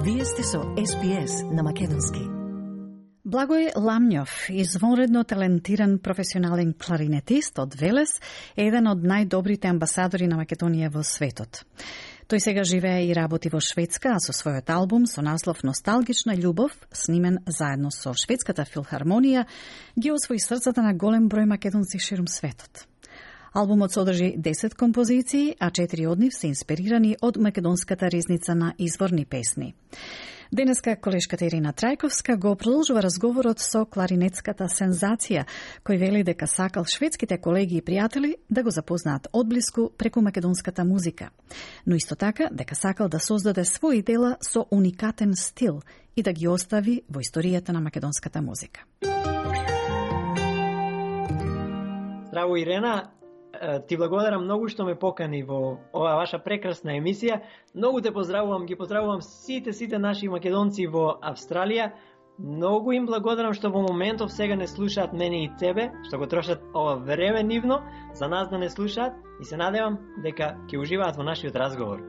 Вие сте со SBS на македонски. Благој Ламњов, извонредно талентиран професионален кларинетист од Велес, е еден од најдобрите амбасадори на Македонија во светот. Тој сега живее и работи во Шведска, а со својот албум со наслов Носталгична љубов, снимен заедно со Шведската филхармонија, ги освои срцата на голем број македонци ширум светот. Албумот содржи 10 композиции, а 4 од нив се инспирирани од македонската ризница на изворни песни. Денеска колешката Ирина Трајковска го продолжува разговорот со кларинетската сензација, кој вели дека сакал шведските колеги и пријатели да го запознаат одблиску преку македонската музика, но исто така дека сакал да создаде своји дела со уникатен стил и да ги остави во историјата на македонската музика. Здраво, Ирена. Ти благодарам многу што ме покани во оваа ваша прекрасна емисија. Многу те поздравувам, ги поздравувам сите наши македонци во Австралија. Многу им благодарам што во моментов сега не слушаат мене и тебе, што го трошат ова време нивно за нас да не слушаат и се надевам дека ќе уживаат во нашиот разговор.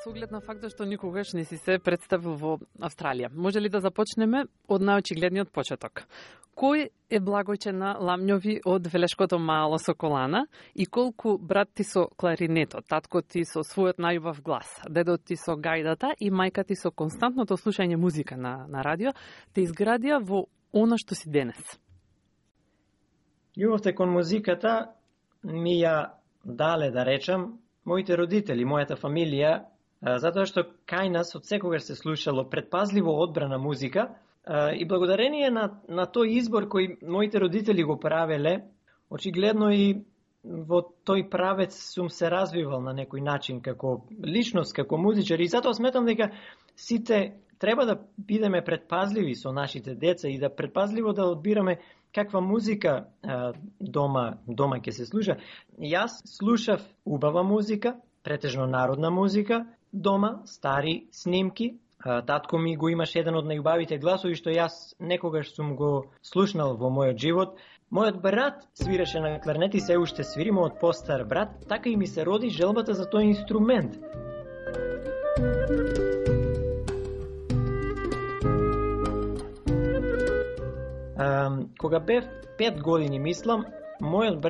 Со оглед на фактот што никогаш не си се представил во Австралија. Може ли да започнеме од најочигледниот почеток? Кој е Благојче на Ламњови од Велешкото мало Соколана и колку брат ти со кларинетот, татко ти со својот најубав глас, дедот ти со гајдата и мајка ти со константното слушање музика на радио, те изградија во она што си денес? Љубовта кон музиката ми ја дале, да речам, моите родители, мојата фамилија, затоа што кај нас од секогаш се слушало предпазливо одбрана музика и благодарение на тој избор кој моите родители го правеле, очигледно и во тој правец сум се развивал на некој начин како личност, како музичар и затоа сметам дека сите треба да бидеме предпазливи со нашите деца и да предпазливо да одбираме каква музика дома ќе се слуша. Јас слушав убава музика, претежно народна музика, дома, стари снимки. Татко ми го имаше еден од најубавите гласови што јас некогаш сум го слушнал во мојот живот. Мојот брат свиреше на кларнет и се уште свири, мојот постар брат, така и ми се роди желбата за тој инструмент. Кога бев 5 години, мислам, мојот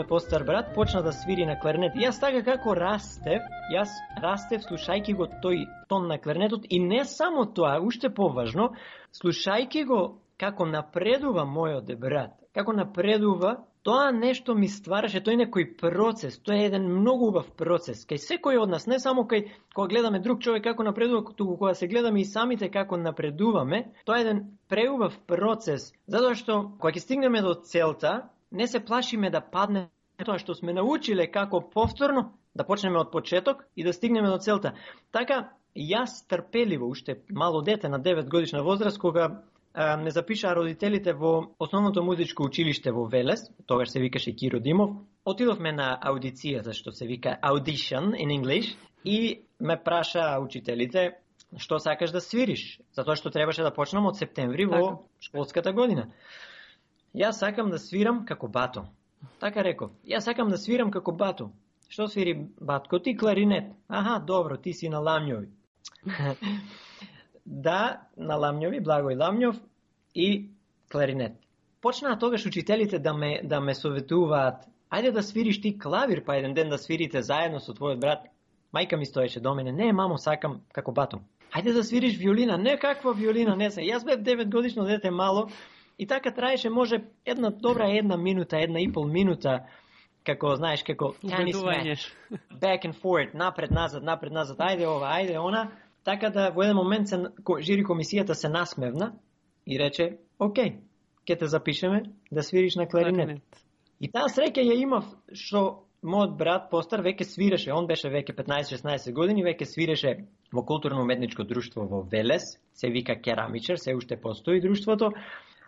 постар брат почна да свири на кларнет. Јас така како растев слушајќи го тој тон на кларнетот и не само тоа, уште поважно, слушајќи го како напредува мојот брат, како напредува, тоа нешто ми ствараше, тој некој процес, тоа е еден многу убав процес. Кај секој од нас, не само кога гледаме друг човек како напредува, туку кога се гледаме и самите како напредуваме, тоа е еден преубав процес, затоа што кога ќе стигнеме до целта, не се плашиме да падне тоа што сме научиле како повторно, да почнеме од почеток и да стигнеме до целта. Така, јас трпеливо, уште мало дете на 9 годишна возраст, кога ме запишаа родителите во основното музичко училиште во Велес, тогаш се викаше Киро Димов, отидовме на аудицијата, што се вика audition in English, и ме прашаа учителите што сакаш да свириш, затоа што требаше да почнам од септември во школската година. Јас сакам да свирам како бато. Така реков. Јас сакам да свирам како бато. Што свири батко? Ти кларинет. Аха, добро, ти си на Ламњови. Да, на Ламњови, Благој Ламњов и кларинет. Почнаа тогаш учителите да ме советуваат. Ајде да свириш ти клавир, па еден ден да свирите заедно со твојот брат. Мајка ми стоеше до мене. Не, мамо, сакам како бато. Ајде да свириш виолина. Не, каква виолина, не се. Јас бев 9 годишно дете мало. И така траеше може една добра 1 минута, 1,5 минута, како, знаеш, како tennis match, back and forth, напред, назад, ајде ова, ајде она, така да во еден момент жири комисијата се насмевна и рече, окей, ќе те запишеме да свириш на кларинет. И таа среќа ја имав што мојот брат постар веќе свиреше, он беше веќе 15-16 години, веќе свиреше во културно-уметничко друштво во Велес, се вика Керамичар, се уште постои друштвото.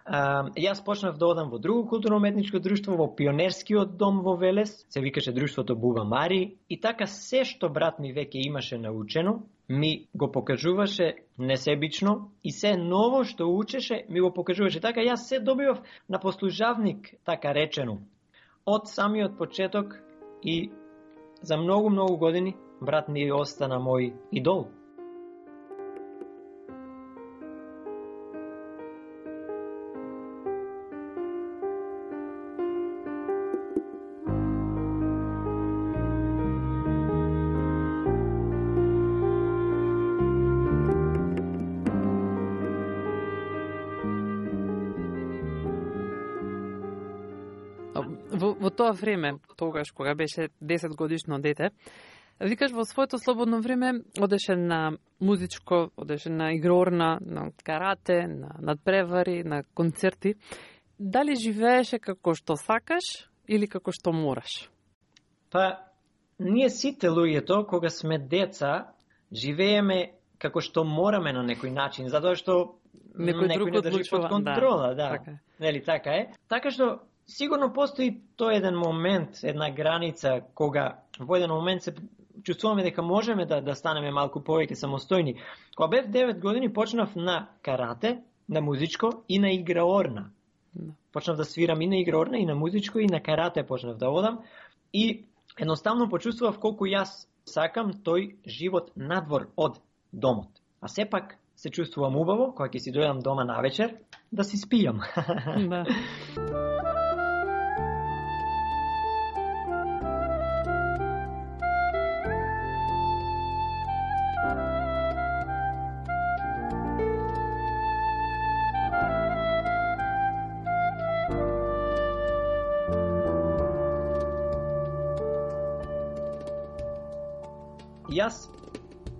Јас почнав да одам во друго културно-уметничко друштво, во пионерскиот дом во Велес, се викаше друштвото Буба Мари, и така се што брат ми веќе имаше научено, ми го покажуваше несебично и се ново што учеше ми го покажуваше. Така јас се добивав на послужавник, така речено. од самиот почеток и за многу години брат ми остана мој идол. Во тоа време, тогаш кога беше 10 годишно дете, викаш во своето слободно време одеше на музичко, одеше на игрорна, на карате, на надпревари, на концерти. Дали живееше како што сакаш или како што мораш? Па, ние сите луѓето, кога сме деца, живееме како што мораме на некој начин, затоа што некој не држи под контрола, да. Нели така е? Така што сигурно постои тој еден момент, една граница, кога во еден момент се чувствуваме дека можеме да станеме малку повеќе самостојни. Кога бев 9 години почнав на карате, на музичко и на играорна. Почнав да свирам и на играорна, и на музичко, и на карате почнав да одам. И едноставно почувствував колку јас сакам тој живот надвор од домот. А сепак се чувствувам убаво, кога ќе си дојдам дома на вечер, да си спијам. Да.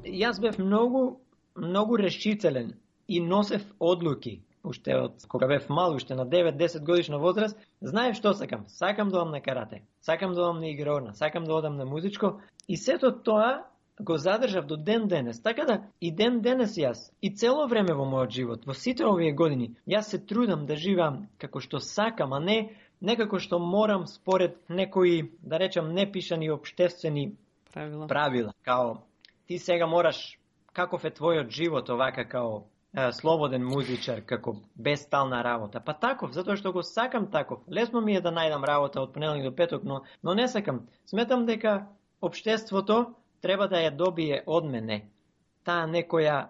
Јас бев многу решителен и носев одлуки, уште од кога бев мал, уште на 9-10 годишна возраст, знаев што сакам. Сакам да одам на карате, сакам да одам на игрорна, сакам да одам на музичко и сето тоа го задржав до ден денес. Така да и ден денес јас и цело време во мојот живот, во сите овие години, јас се трудам да живеам како што сакам, а не некако што морам според некои, да речам, непишани општествени правила. Као ти сега мораш, каков е твојот живот овака као слободен музичар, како без стална работа. Па таков, затоа што го сакам таков. Лесно ми е да најдам работа од понеделник до петок, но не сакам. Сметам дека општеството треба да ја добие од мене. Таа некоја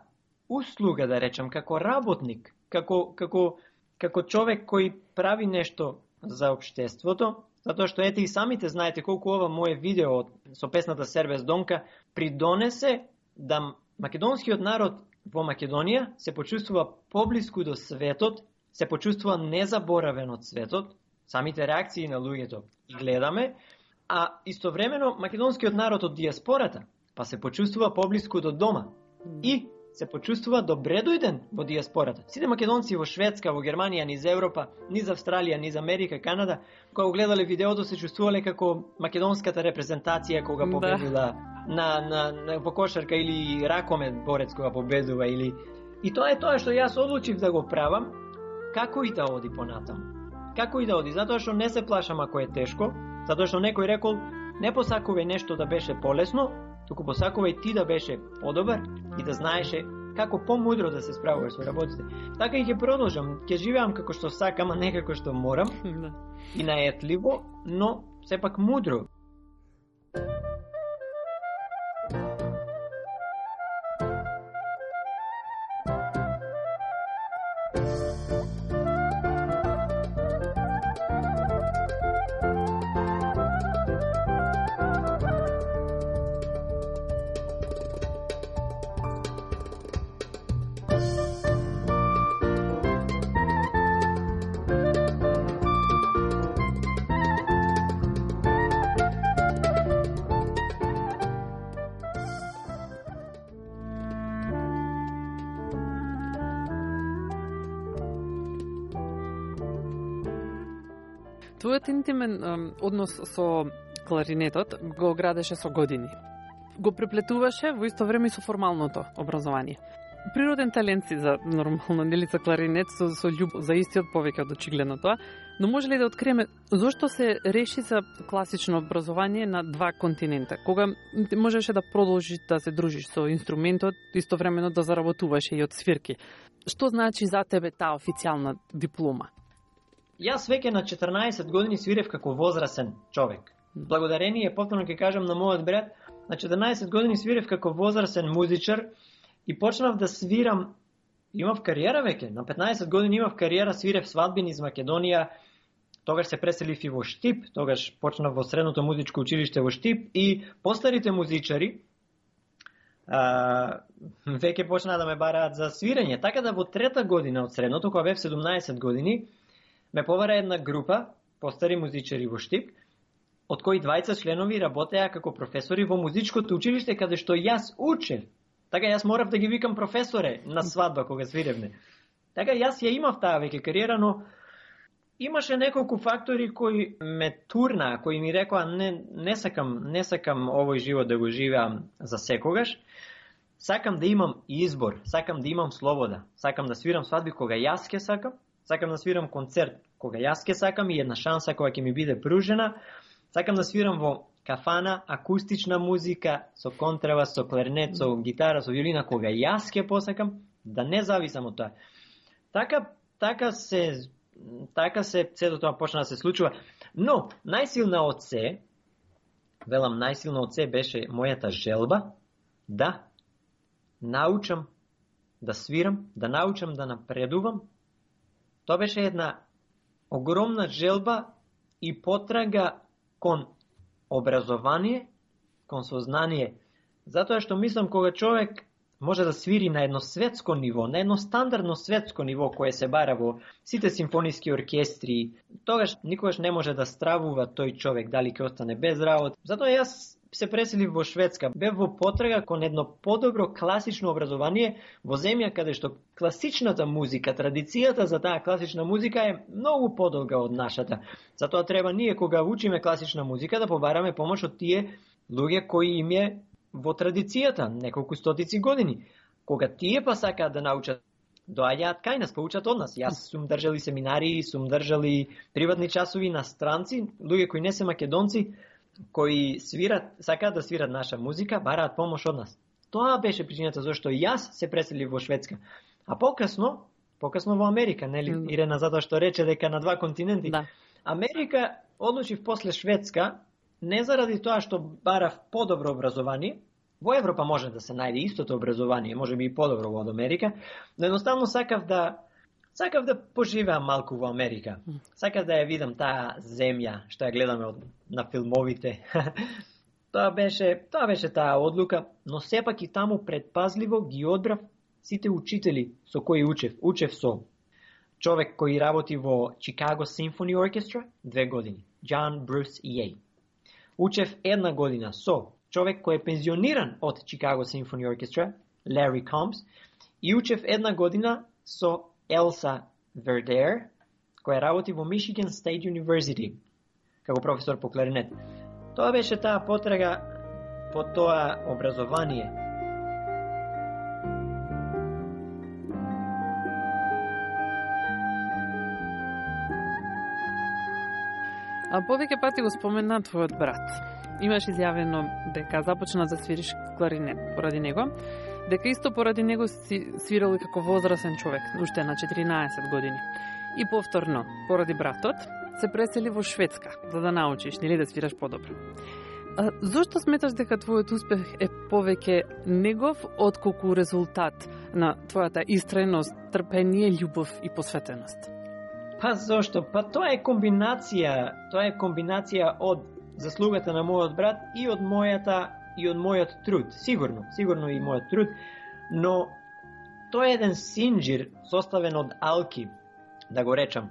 услуга, да речам, како работник, како човек кој прави нешто за општеството, затоа што ете и самите знаете колку ова моje видео со песната Сербес Донка придонесе да македонскиот народ во Македонија се почувствува поблиску до светот, се почувствува незаборавен од светот, самите реакции на луѓето и гледаме, а истовремено македонскиот народ од диаспората па се почувствува поблиску до дома и се почувствува добре дојден во диаспората. Сите македонци во Шведска, во Германија, низ Европа, низ Австралија, низ Америка, Канада, кога гледале видеото се чувствувале како македонската репрезентација кога победила во кошарка или ракомет борец кога победува или и тоа е тоа што јас одлучив да го правам, како и да оди понатаму. Како и да оди, затоа што не се плашам ако е тешко, затоа што некој рекол не посакувај нешто да беше полесно, туку посакувај ти да беше подобар и да знаеше како помудро да се справуваш со работите. Така и ќе продолжам, ќе живеам како што сакам, а не како што морам. И наетливо, но сепак мудро. Твојот интимен однос со кларинетот го градеше со години. Го преплетуваше во исто време и со формалното образование. Природен талент си за нормално, нели, за кларинет, со љубов за истиот повеќе од очигледно тоа, но може ли да откриеме зошто се реши за класично образование на два континента, кога можеше да продолжиш да се дружиш со инструментот, истовремено да заработуваше и од свирки? Што значи за тебе таа официјална диплома? Јас веќе на 14 години свирев како возрасен човек. Благодарение, повторно ќе кажам, на мојот брат, на 14 години свирев како возрасен музичар и почнав да свирам. Имав кариера веќе. На 15 години имав кариера, свирев свадбини из Македонија. Тогаш се преселив и во Штип, тогаш почнав во средното музичко училиште во Штип и постарите музичари веќе почнаа да ме бараат за свирење. Така да во трета година од средното, кога бев 17 години, ме побара една група постари музичари во Штип, од кои 20 членови работеа како професори во музичкото училиште каде што јас учев. Така јас морав да ги викам професоре на свадба кога свиревме. Така јас ја имав таа веќе кариера, но имаше неколку фактори кои ме турнаа, кои ми рекоа не сакам овој живот да го живеам за секогаш. Сакам да имам избор, сакам да имам слобода, сакам да свирам свадби кога јас ке сакам да свирам концерт кога јас ке сакам и една шанса која ќе ми биде пружена. Сакам да свирам во кафана, акустична музика, со контрабас, со кларнет, со гитара, со виолина, кога јас ке посакам, да не зависам од тоа. Така се сето тоа почна да се случува. Но, најсилна од се беше мојата желба да научам да свирам, да научам да напредувам. Тоа беше една огромна желба и потрага кон образование, кон сознание. Затоа што мислам кога човек може да свири на едно светско ниво, на едно стандардно светско ниво кое се бара во сите симфониски оркестри, тогаш никогаш не може да стравува тој човек дали ќе остане без работа. Затоа јас се преселив во Шведска, бев во потрага кон едно подобро класично образование во земја каде што класичната музика, традицијата за таа класична музика е многу подолга од нашата. Затоа треба ние кога учиме класична музика да побараме помош од тие луѓе кои им е во традицијата неколку стотици години. Кога тие па сакаат да научат, доаѓаат кај нас, поучат од нас. Јас сум држали семинари, сум држали приватни часови на странци, луѓе кои не се македонци, кои сакаат да свират наша музика, бараат помош од нас. Тоа беше причината зашто јас се преселив во Шведска. А покасно во Америка, нели, Ирена, затоа што рече дека на два континенти. Да. Америка одлучив после Шведска, не заради тоа што барав подобро образование. Во Европа може да се најде истото образование, може би и подобро од Америка, но едноставно сакав да поживеам малку во Америка. Сакав да ја видам таа земја што ја гледаме на филмовите. Тоа беше таа одлука, но сепак и таму предпазливо ги одбрав сите учители со кои учев. Учев со човек кој работи во Chicago Symphony Orchestra 2 години, John Bruce Ye. Учев една година со човек кој е пензиониран од Chicago Symphony Orchestra, Larry Combs, и учев една година со Elsa Verder, која работи во Michigan State University, како професор по кларинет. Тоа беше таа потрага по тоа образование. А повеќе пати го спомена твојот брат. Имаш изјавено дека започна да свириш кларинет поради него, дека исто поради него си свирал како возрасен човек, уште на 14 години. И повторно, поради братот, се пресели во Шведска, за да научиш, нели, да свираш подобро. Зошто сметаш дека твојот успех е повеќе негов отколку резултат на твојата истреност, трпение, љубов и посветеност? Па зошто? Па тоа е комбинација од заслугата на мојот брат и од мојот труд. Сигурно и мојот труд, но тоа е еден синџир составен од алки, да го речам.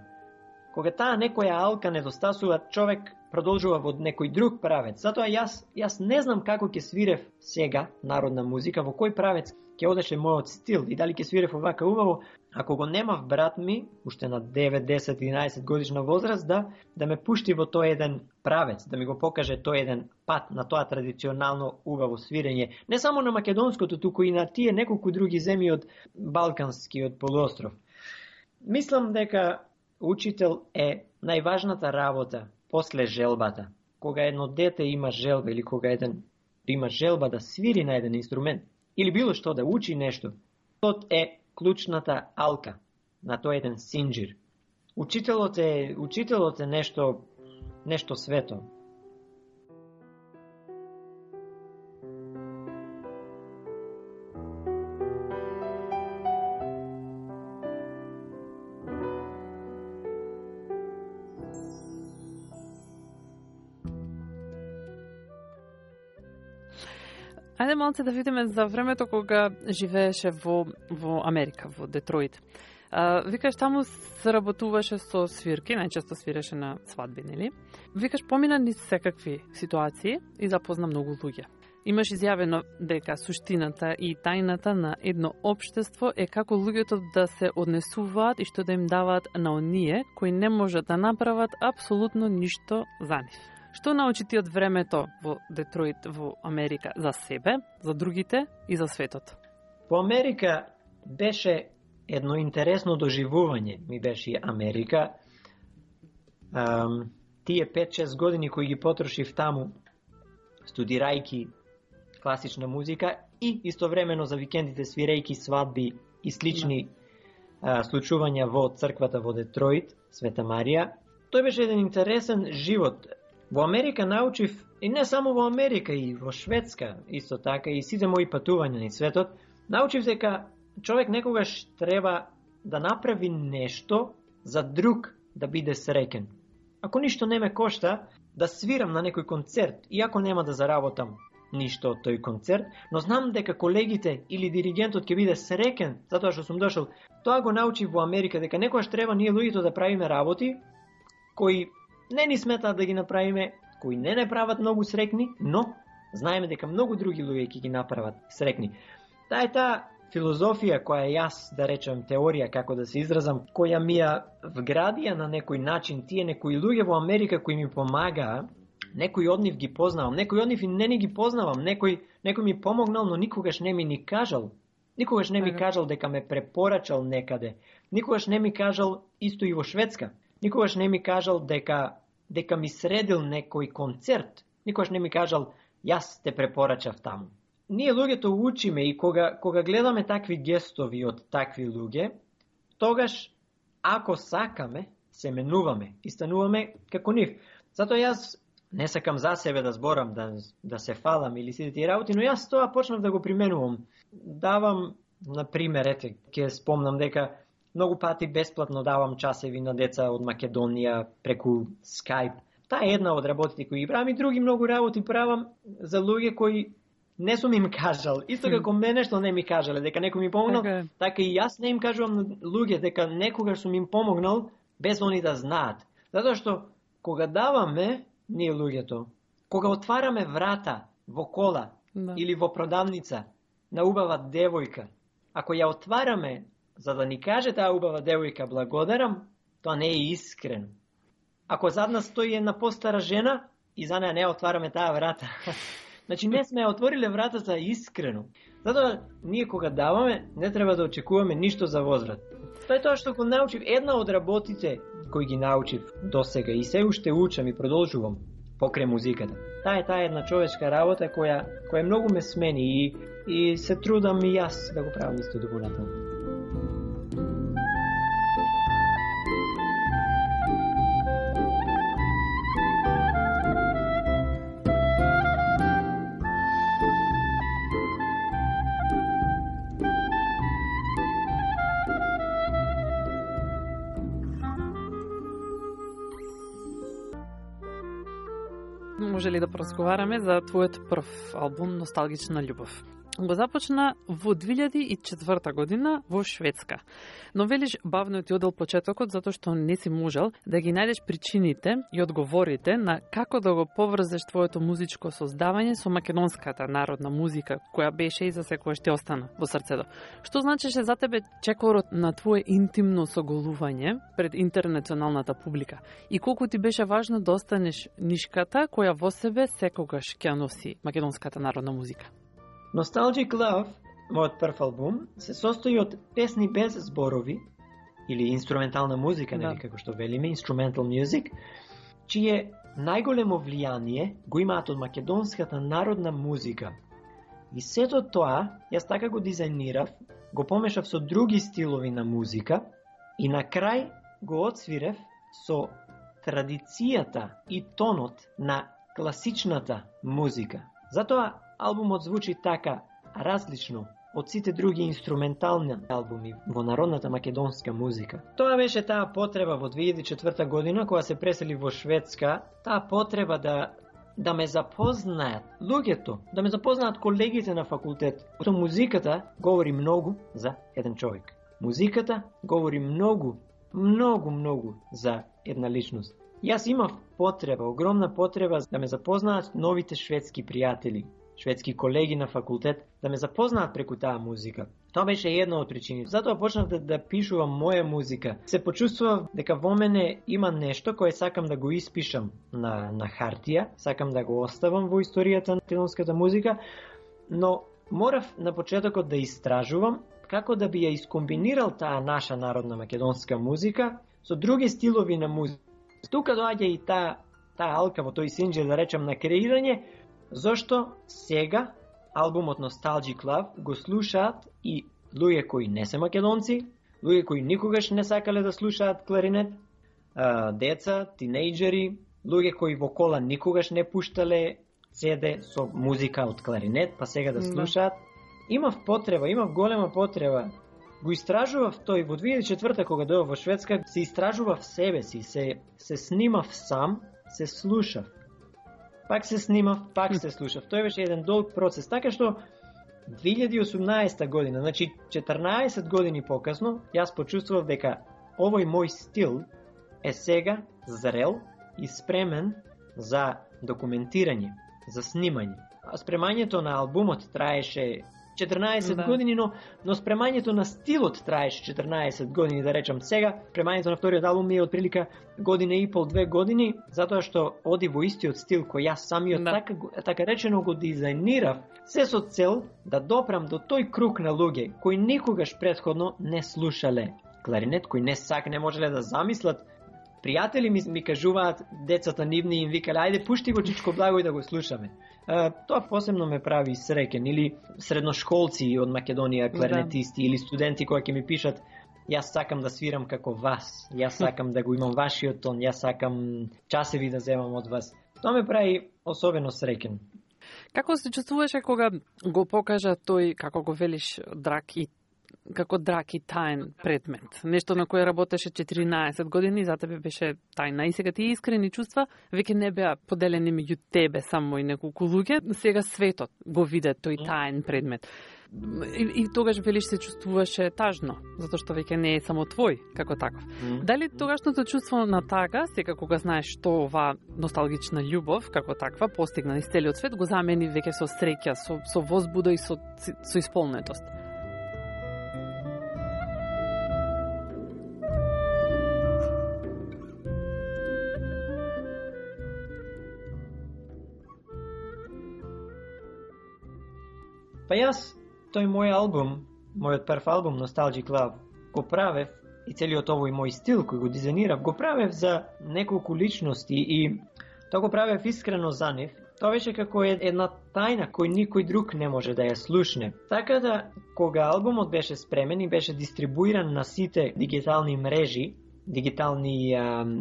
Кога таа некоја алка недостасува, човек продолжува во некој друг правец. Затоа јас не знам како ќе свирев сега народна музика, во кој правец ќе одеше мојот стил и дали ќе свирев овака убаво, ако го немав брат ми, уште на 9, 10, 11 годишна возраст, да ме пушти во тој еден правец, да ми го покаже тој еден пат на тоа традиционално убаво свирење, не само на македонското, туку и на тие неколку други земји од Балканскиот полуостров. Мислам дека учител е најважната работа после желбата. Кога едно дете има желба или кога еден има желба да свири на еден инструмент или било што да учи нешто, тоа е клучната алка на тој еден синџир. учителот е нешто свето. Ајде малце да видиме за времето кога живееше во Америка, во Детройт. Викаш, таму се работуваше со свирки, најчесто свиреше на свадби, нели? Викаш, помина низ секакви ситуации и запозна многу луѓе. Имаш изјавено дека суштината и тајната на едно општество е како луѓето да се однесуваат и што да им даваат на оние кои не можат да направат апсолутно ништо за нив. Што научи ти од времето во Детройт, во Америка, за себе, за другите и за светот? Во Америка беше едно интересно доживување, ми беше Америка. Тие 5-6 години кои ги потрошив таму, студирајки класична музика и истовремено за викендите свирејки свадби и слични случувања во црквата во Детройт, Света Марија. Тој беше еден интересен живот. Во Америка научив, и не само во Америка, и во Шведска, исто така, и сите мои патувања на светот, научив дека човек некогаш треба да направи нешто за друг да биде среќен. Ако ништо не ме кошта, да свирам на некој концерт, иако нема да заработам ништо од тој концерт, но знам дека колегите или диригентот ќе биде среќен затоа што сум дошол. Тоа го научив во Америка, дека некогаш треба ние луѓето да правиме работи кои не ни сметаат да ги направиме, кои не прават многу срекни, но знаеме дека многу други луѓе ќе ги направат срекни. Таа е таа филозофија која јас, да речем, теорија, како да се изразам, која ми ја вградија на некој начин тие некои луѓе во Америка кои ми помагаа, некои од нив ги познавам, некои од нив и не ги познавам, некој ми помогнал, но никогаш не ми ни кажал. Никогаш не ми кажал дека ме препорачал некаде. Никогаш не ми кажал исто и во Шведска. Никогаш не ми кажал дека ми средил некој концерт. Никогаш не ми кажал јас те препорачав таму. Ние луѓето учиме и кога гледаме такви гестови од такви луѓе, тогаш ако сакаме, се менуваме и стануваме како нив. Затоа јас не сакам за себе да зборам, да се фалам или сите тие работи, но јас тоа почнав да го применувам. Давам, на пример, ќе спомнам дека многу пати бесплатно давам часеви на деца од Македонија преку Skype. Таа е една од работите кои ги правам и други многу работи правам за луѓе кои не сум им кажал. Исто како мене што не ми кажале дека некој ми помогнал, така и јас не им кажувам на луѓе дека некогаш сум им помогнал без они да знаат. Затоа што кога даваме ние луѓето, кога отвараме врата во кола или во продавница на убава девојка, ако ја отвараме за да ни каже таа убава девојка благодарам, тоа не е искрено. Ако зад нас стои една постара жена и за неја не отвараме таа врата, значи не сме отвориле вратата искрено. Затоа ние кога даваме не треба да очекуваме ништо за возврат. Тоа е тоа што го научив, една од работите кои ги научив досега и се уште учам и продолжувам покрај музиката. Таа е една човечка работа која многу ме смени и се трудам и јас да го правам исто до понатаму. Може ли да поразговараме за твојот прв албум Носталгична љубов? Го започна во 2004 година во Шведска. Но велиш бавно ти одел почетокот затоа што не си можел да ги најдеш причините и одговорите на како да го поврзеш твоето музичко создавање со македонската народна музика, која беше и за секојаш ти остана во срцето. Што значеше за тебе чекорот на твое интимно соголување пред интернационалната публика? И колку ти беше важно да останеш нишката која во себе секогаш ќе носи македонската народна музика? Nostalgic Love, мојот прв албум, се состои од песни без зборови, или инструментална музика, нели како што велиме, instrumental music, чие најголемо влијание го имаат од македонската народна музика. И сето тоа, јас така го дизајнирав, го помешав со други стилови на музика и на крај го отсвирев со традицијата и тонот на класичната музика. Затоа албумот звучи така различно од сите други инструментални албуми во народната македонска музика. Тоа беше таа потреба во 2004 година, кога се пресели во Шведска, таа потреба да ме запознаат луѓето, да ме запознаат колегите на факултет. Музиката говори многу за еден човек. Музиката говори многу за една личност. Јас имав потреба, огромна потреба да ме запознаат новите шведски пријатели, шведски колеги на факултет, да ме запознаат преку таа музика. Тоа беше една од причините. Затоа почнав да пишувам моја музика. Се почувствував дека во мене има нешто кое сакам да го испишам на хартија, сакам да го оставам во историјата на македонската музика, но морав на почетокот да истражувам како да би ја искомбинирал таа наша народна македонска музика со други стилови на музика. Тука доаѓа и таа алка во тој синџир, да речем, на креирање, зашто сега албумот Nostalgic Love го слушаат и луѓе кои не се македонци, луѓе кои никогаш не сакале да слушаат кларинет, деца, тинејџери, луѓе кои во кола никогаш не пуштале CD со музика од кларинет, па сега да слушаат. Имав голема потреба. Го истражував тој во 2004 кога дојав во Шведска, се истражував себе си, се снимав сам, се слушав. Пак се снимав, пак се слушав. Тој беше еден долг процес, така што 2018 година, значи 14 години покасно, јас почувствував дека овој мој стил е сега зрел и спремен за документирање, за снимање. Спремањето на албумот траеше 14 години, но спремањето на стилот траеше 14 години, да речам. Сега спремањето на вториот албум е отприлика година и пол, 2 години, затоа што оди во истиот стил кој јас самиот така речено го дизајнирав, се со цел да допрам до тој круг на луѓе кои никогаш претходно не слушале кларинет, кои не можеле да замислат. Пријатели ми кажуваат, децата нивни им викале, ајде пушти го Чичко Благој да го слушаме. Тоа посебно ме прави среќен, или средношколци од Македонија, кларинетисти, или студенти кои ќе ми пишат, јас сакам да свирам како вас, јас сакам да го имам вашиот тон, јас сакам часеви да земам од вас. Тоа ме прави особено среќен. Како се чувствуваше кога го покажа тој, како го велиш, како драг и таен предмет? Нешто на кое работеше 14 години, за тебе беше тајна. И сега тие искрени чувства веќе не беа поделени меѓу тебе само и неколку луѓе. Сега светот го виде тој таен предмет. И тогаш велиш се чувствуваше тажно, затоа што веќе не е само твој, како таков. Дали тогашното чувство на тага, сега кога знаеш што оваа носталгична љубов, како таква, постигна низ целиот свет, го замени веќе со среќа, со возбуда и со исполнетост? Па јас, тој мој албум, мојот прв албум Nostalgic Love, го правев и целиот овој мој стил кој го дизајнирав, го правев за неколку личности и тоа го правев искрено за нив. Тоа беше како една тајна кој никој друг не може да ја слушне. Така да, кога албумот беше спремен и беше дистрибуиран на сите дигитални мрежи, дигитални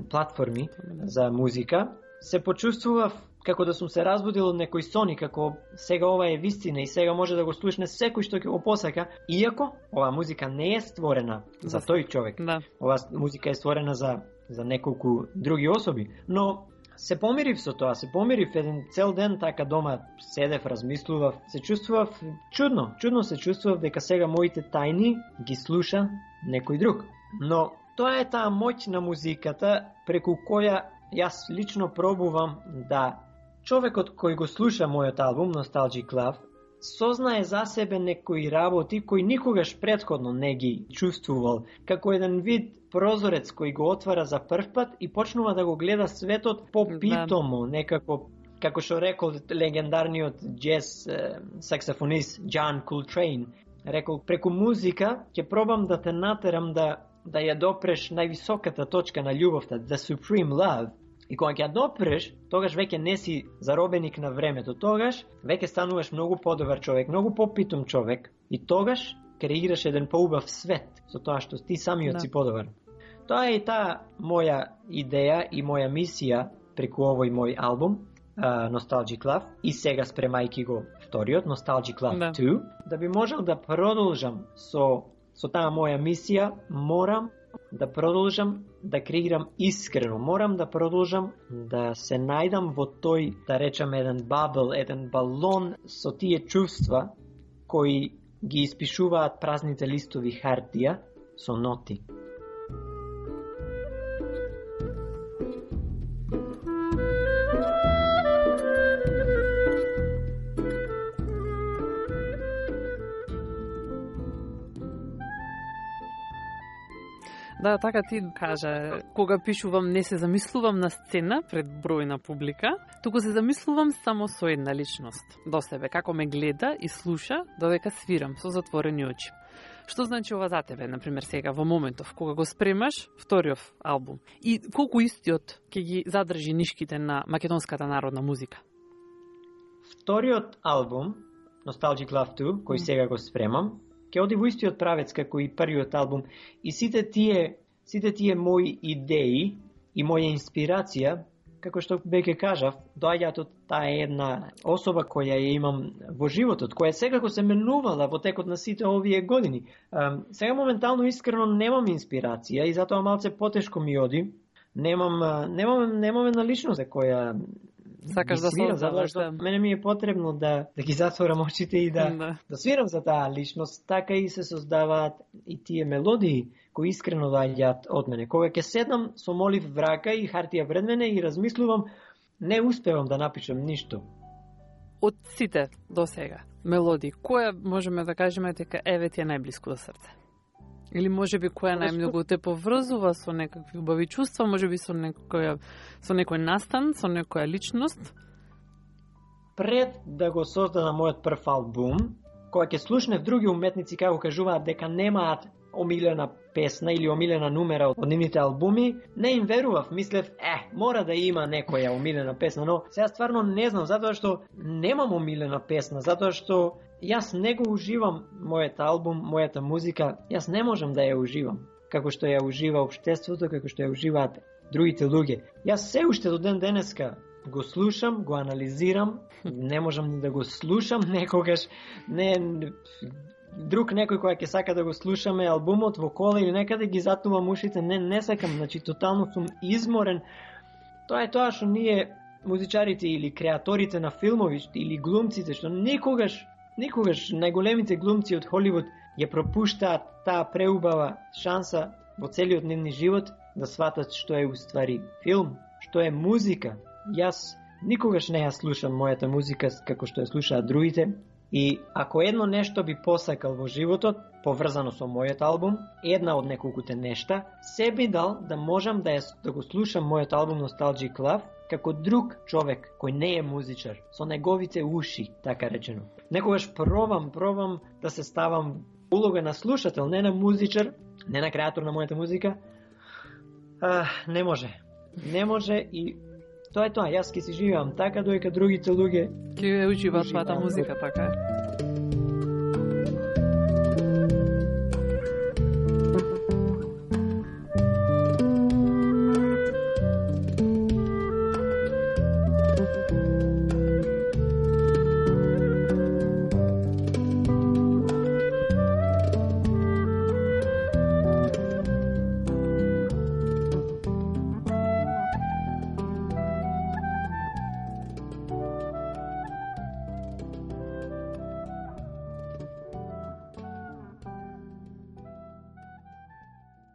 платформи за музика, се почувствував како да сум се разбудил од некој сон и како сега ова е вистина и сега може да го слушне секој што ќе го посака, иако оваа музика не е створена за тој човек. Да. Оваа музика е створена за неколку други особи, но се помирив со тоа, еден цел ден така дома седев, размислував, се чувствував чудно се чувствував дека сега моите тајни ги слуша некој друг. Но тоа е таа моќ на музиката преку која јас лично пробувам да човекот кој го слуша мојот албум Nostalgic Love сознае за себе некои работи кои никогаш претходно не ги чувствувал, како еден вид прозорец кој го отвара за прв пат и почнува да го гледа светот попитомо, некако, како што рекол легендарниот джез саксофонист John Coltrane, рекол, преку музика ќе пробам да те натерам да ја допреш највисоката точка на љубовта, the supreme love. И кога ќе ја допреш, тогаш веќе не си заробеник на времето, тогаш веќе стануваш многу подобар човек, многу попитом човек и тогаш креираш еден поубав свет со тоа што ти самиот си подобар. Тоа е таа моја идеја и моја мисија преку овој мој албум, Nostalgic Love, и сега спремајки го вториот, Nostalgic Love 2, да би можел да продолжам со таа моја мисија, морам да продолжам да креирам искрено, морам да продолжам да се најдам во тој, да речам, еден бабл, еден балон со тие чувства кои ги испишуваат празните листови хартија со ноти. Да, така ти кажа, кога пишувам не се замислувам на сцена пред бројна публика, туку се замислувам само со една личност, до себе, како ме гледа и слуша додека свирам со затворени очи. Што значи ова за тебе, например, сега во моментов, кога го спремаш вториот албум? И колку истиот ќе ги задржи нишките на македонската народна музика? Вториот албум, Nostalgic Love 2, кој сега го спремам, ќе оди во истиот правец како и првиот албум, и сите тие мои идеи и моја инспирација, како што веќе кажав, доаѓаат од таа една особа која ја имам во животот, која секако се менувала во текот на сите овие години. Сега моментално искрено немам инспирација и затоа малце потешко ми оди. Немам една личност за која сакаш да создаваш, да. Мене ми е потребно да ги затворам очите и да свирам за таа личност, така и се создаваат и тие мелодии кои искрено доаѓаат од мене. Кога ќе седнам со молив в рака и хартија пред мене и размислувам, не успевам да напишам ништо. Од сите до сега мелодии, која можеме да кажеме дека еве ти е најблиску до срце? Или можеби која најмногу те поврзува со некакви убави чувства, можеби со некој настан, со некоја личност? Пред да го создадам мојот прв албум, кога ќе слушнев други уметници како кажуваат дека немаат омилена песна или омилена numera од нивните албуми, не им верував, мислев, мора да има некоја омилена песна, но сега стварно не знам, затоа што немам омилена песна, затоа што јас не го уживам мојот албум, мојата музика, јас не можам да ја уживам, како што ја ужива општеството, како што ја уживаат другите луѓе. Јас се уште до ден денеска го слушам, го анализирам, не можам ни да го слушам некогаш, друг некој која ќе сака да го слушаме албумот во кола или некаде ги затнувам ушите, не сакам, значи тотално сум изморен. Тоа е тоа што ние музичарите или креаторите на филмови или глумците, што никогаш најголемите глумци од Холивуд ја пропуштаат таа преубава шанса во целиот нивни живот да сватат што е уствари филм, што е музика. Јас никогаш не ја слушам мојата музика како што ја слушаат другите. И ако едно нешто би посакал во животот, поврзано со мојот албум, една од неколкуте нешта, се би дал да можам да го слушам мојот албум Nostalgic Love како друг човек кој не е музичар, со неговите уши, така речено. Некогаш пробам да се ставам улога на слушател, не на музичар, не на креатор на мојата музика. Не може и тоа е тоа, јас ќе си живеам така, доека другите луѓе ќе уживаат твојата музика, така е.